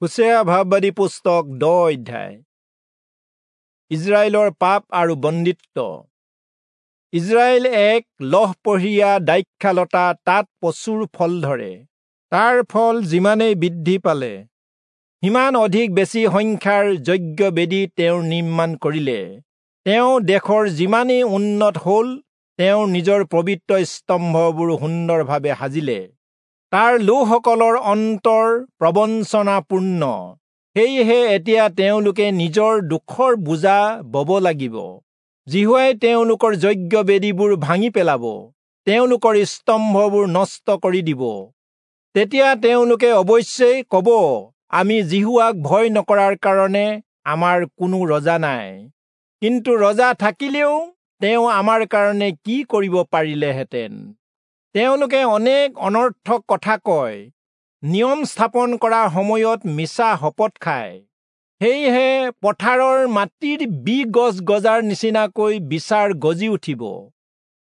হোচেয়া ভাববাদী পুস্তক 10 অধ্যায়। ইজৰাইলৰ পাপ আৰু বন্দিত্ব। ইজৰাইল এক লহপহীয়া দ্ৰাক্ষালতা, তাত প্ৰচুৰ ফল ধৰে। তাৰ ফল যিমানেই বৃদ্ধি পালে, সিমান অধিক বেছি সংখ্যাৰ যজ্ঞ বেদী তেওঁ নিৰ্মাণ কৰিলে। তেওঁ দেশৰ যিমানেই উন্নত হ'ল, তেওঁ নিজৰ পবিত্ৰ স্তম্ভবোৰ সুন্দৰভাৱে সাজিলে। তাৰ লোকসকলৰ অন্তৰ প্ৰবঞ্চনাপূৰ্ণ, সেয়েহে এতিয়া তেওঁলোকে নিজৰ দুখৰ বোজা বব লাগিব। যিহোৱাই তেওঁলোকৰ যজ্ঞ বেদীবোৰ ভাঙি পেলাব, তেওঁলোকৰ স্তম্ভবোৰ নষ্ট কৰি দিব। তেতিয়া তেওঁলোকে অৱশ্যেই ক'ব, আমি যিহোৱাক ভয় নকৰাৰ কাৰণে আমাৰ কোনো ৰজা নাই। কিন্তু ৰজা থাকিলেও তেওঁ আমাৰ কাৰণে কি কৰিব পাৰিলেহেঁতেন? তেওঁলোকে অনেক অনৰ্থক কথা কয়, নিয়ম স্থাপন কৰাৰ সময়ত মিছা শপত খায়। সেয়েহে পথাৰৰ মাটিৰ বি গছ গজাৰ নিচিনাকৈ বিচাৰ গজি উঠিব।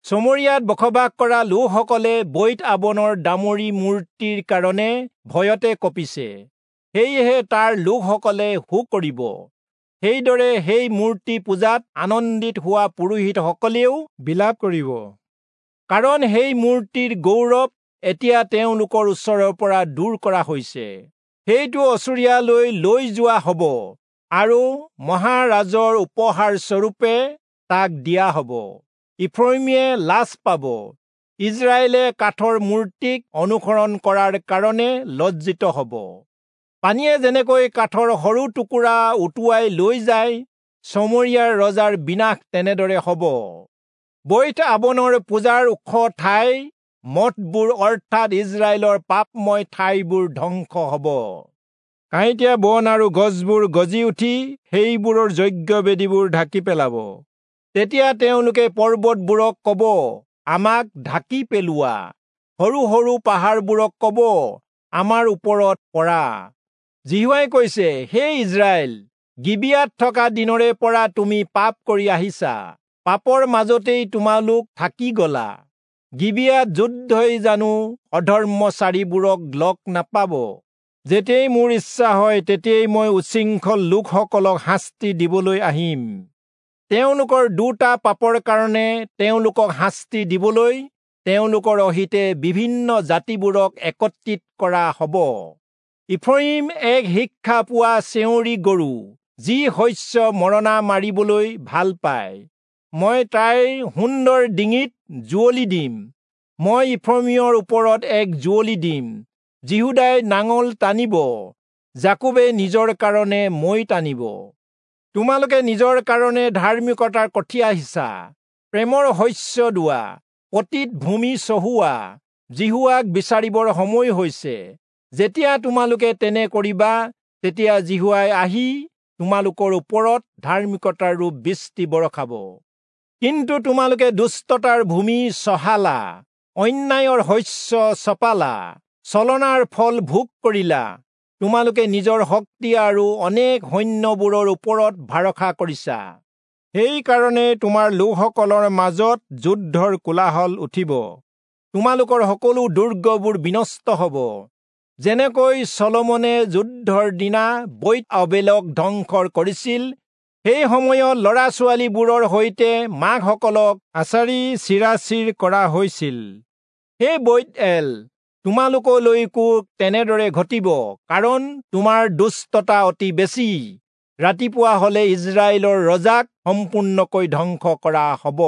চমৰীয়াত বসবাস কৰা লোকসকলে বৈৎ আবনৰ দামৰি মূৰ্তিৰ কাৰণে ভয়তে কঁপিছে, সেয়েহে তাৰ লোকসকলে শোক কৰিব। সেইদৰে সেই মূৰ্তি পূজাত আনন্দিত হোৱা পুৰোহিতসকলেও বিলাপ কৰিব, কাৰণ সেই মূৰ্তিৰ গৌৰৱ এতিয়া তেওঁলোকৰ ওচৰৰ পৰা দূৰ কৰা হৈছে। সেইটো অচুৰীয়ালৈ লৈ যোৱা হ'ব আৰু মহাৰাজৰ উপহাৰ স্বৰূপে তাক দিয়া হ'ব। ইফ্ৰয়িমে লাজ পাব, ইজৰাইলে কাঠৰ মূৰ্তিক অনুসৰণ কৰাৰ কাৰণে লজ্জিত হ'ব। পানীয়ে যেনেকৈ কাঠৰ সৰু টুকুৰা উটুৱাই লৈ যায়, চমৰীয়াৰ ৰজাৰ বিনাশ তেনেদৰে হ'ব। বৈৎ আবনৰ পূজাৰ ওখ ঠাই মঠবোৰ অৰ্থাৎ ইজৰাইলৰ পাপময় ঠাইবোৰ ধ্বংস হ'ব। কাঁইটীয়া বন আৰু গছবোৰ গজি উঠি সেইবোৰৰ যজ্ঞ বেদীবোৰ ঢাকি পেলাব। তেতিয়া তেওঁলোকে পৰ্বতবোৰক ক'ব, আমাক ঢাকি পেলোৱা। সৰু সৰু পাহাৰবোৰক ক'ব, আমাৰ ওপৰত পৰা। যিহোৱাই কৈছে, হে ইজৰাইল, গিবিয়াত থকা দিনৰে পৰা তুমি পাপ কৰি আহিছা, পাপৰ মাজতেই তোমালোক থাকি গলা। গিবিয়াত যুদ্ধই জানো অধৰ্মচাৰীবোৰক লগ নাপাব? যেতিয়াই মোৰ ইচ্ছা হয়, তেতিয়াই মই উচ্ছৃংখল লোকসকলক শাস্তি দিবলৈ আহিম। তেওঁলোকৰ দুটা পাপৰ কাৰণে তেওঁলোকক শাস্তি দিবলৈ তেওঁলোকৰ অহিতে বিভিন্ন জাতিবোৰক একত্ৰিত কৰা হ'ব। ইফ্ৰয়িম এক শিক্ষা পোৱা চেউৰী গৰু, যি শস্য মৰণা মাৰিবলৈ ভাল পায়। মই তাইৰ সুন্দৰ ডিঙিত যুঁৱলি দিম। মই ইফ্ৰয়িমৰ ওপৰত এক যুঁৱলি দিম। যিহূদাই নাঙল টানিব, যাকোবে নিজৰ কাৰণে মৈ টানিব। তোমালোকে নিজৰ কাৰণে ধাৰ্মিকতাৰ কঠীয়া সিঁচা, প্ৰেমৰ শস্য দোৱা, পতিত ভূমি চহোৱা। যিহোৱাক বিচাৰিবৰ সময় হৈছে। যেতিয়া তোমালোকে তেনে কৰিবা, তেতিয়া যিহোৱাই আহি তোমালোকৰ ওপৰত ধাৰ্মিকতাৰ ৰূপ বৃষ্টি বৰষাব। কিন্তু তোমালোকে দুষ্টতাৰ ভূমি চহালা, অন্যায়ৰ শস্য চপালা, ছলনাৰ ফল ভোগ কৰিলা। তোমালোকে নিজৰ শক্তি আৰু অনেক সৈন্যবোৰৰ ওপৰত ভৰসা কৰিছা। সেইকাৰণে তোমাৰ লোকসকলৰ মাজত যুদ্ধৰ কোলাহল উঠিব, তোমালোকৰ সকলো দুৰ্গবোৰ বিনষ্ট হ'ব। যেনেকৈ চলোমনে যুদ্ধৰ দিনা বৈৎ আবেলক ধ্বংস কৰিছিল, সেই সময়ত ল'ৰা ছোৱালীবোৰৰ সৈতে মাকসকলক আচাৰি চিৰাচিৰ কৰা হৈছিল। হে বৈৎ এল, তোমালোকলৈকো তেনেদৰে ঘটিব, কাৰণ তোমাৰ দুষ্টতা অতি বেছি। ৰাতিপুৱা হলে ইজৰাইলৰ ৰজাক সম্পূৰ্ণকৈ ধ্বংস কৰা হ'ব।